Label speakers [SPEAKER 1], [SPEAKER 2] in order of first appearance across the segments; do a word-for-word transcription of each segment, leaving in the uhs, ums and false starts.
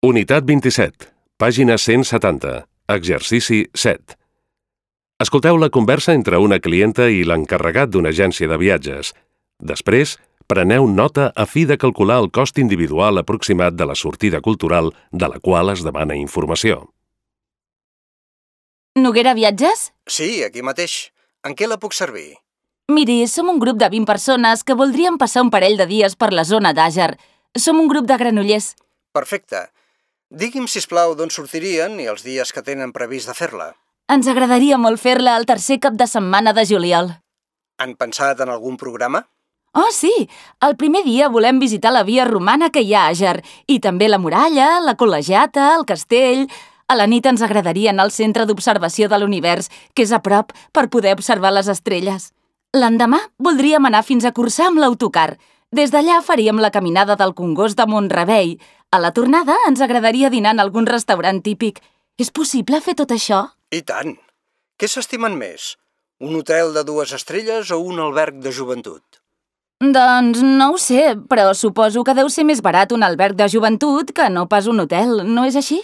[SPEAKER 1] Unitat vint-i-set, pàgina cent setanta, exercici set. Escolteu la conversa entre una clienta i l'encarregat d'una agència de viatges. Després, preneu nota a fi de calcular el cost individual aproximat de la sortida cultural de la qual es demana informació.
[SPEAKER 2] Noguera Viatges?
[SPEAKER 3] Sí, aquí mateix. En què la puc servir?
[SPEAKER 2] Miri, som un grup de vint persones que voldríem passar un parell de dies per la zona d'Àger. Som un grup de Granollers.
[SPEAKER 3] Perfecte. Digui'm, sisplau, d'on sortirien i els dies que tenen previst de fer-la.
[SPEAKER 2] Ens agradaria molt fer-la el tercer cap de setmana de juliol.
[SPEAKER 3] Han pensat en algun programa?
[SPEAKER 2] Oh, sí! El primer dia volem visitar la via romana que hi ha a Àger i també la muralla, la col·legiata, el castell. A la nit ens agradaria anar al centre d'observació de l'univers, que és a prop, per poder observar les estrelles. L'endemà voldríem anar fins a Corçà amb l'autocar. Des d'allà faríem la caminada del Congost de Mont-rebei. A la tornada ens agradaria dinar en algun restaurant típic. És possible fer tot això?
[SPEAKER 3] I tant! Què s'estimen més? Un hotel de dues estrelles o un alberg de joventut?
[SPEAKER 2] Doncs no ho sé, però suposo que deu ser més barat un alberg de joventut que no pas un hotel, no és així?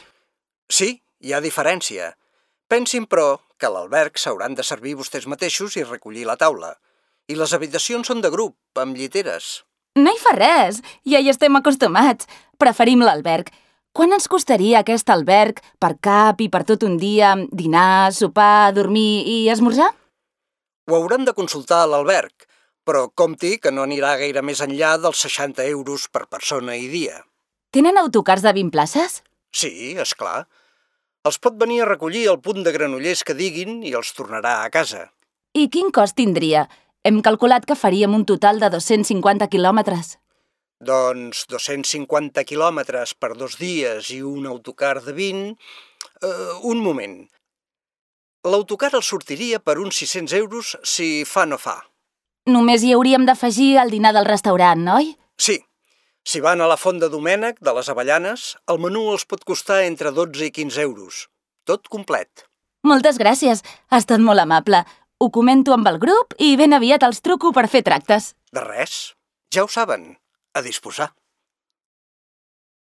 [SPEAKER 3] Sí, hi ha diferència. Pensin, però, que a l'alberg s'hauran de servir vostès mateixos i recollir la taula. I les habitacions són de grup, amb lliteres.
[SPEAKER 2] No hi fa res, ja hi estem acostumats. Preferim l'alberg. Quan ens costaria aquest alberg per cap i per tot un dia, dinar, sopar, dormir i esmorzar?
[SPEAKER 3] Ho haurem de consultar a l'alberg, però compti que no anirà gaire més enllà dels seixanta euros per persona i dia.
[SPEAKER 2] Tenen autocars de vint places?
[SPEAKER 3] Sí, és clar. Els pot venir a recollir al punt de Granollers que diguin i els tornarà a casa.
[SPEAKER 2] I quin cost tindria? Hem calculat que faríem un total de dos-cents cinquanta quilòmetres.
[SPEAKER 3] Doncs dos-cents cinquanta quilòmetres per dos dies i un autocar de vint... Uh, un moment. L'autocar el sortiria per uns sis-cents euros si fa no fa.
[SPEAKER 2] Només hi hauríem d'afegir el dinar del restaurant, oi?
[SPEAKER 3] Sí. Si van a la Font de Domènec, de les Avellanes, el menú els pot costar entre dotze i quinze euros. Tot complet.
[SPEAKER 2] Moltes gràcies. Ha estat molt amable. Ho comento amb el grup i ben aviat els truco per fer tractes.
[SPEAKER 3] De res. Ja ho saben. A disposar.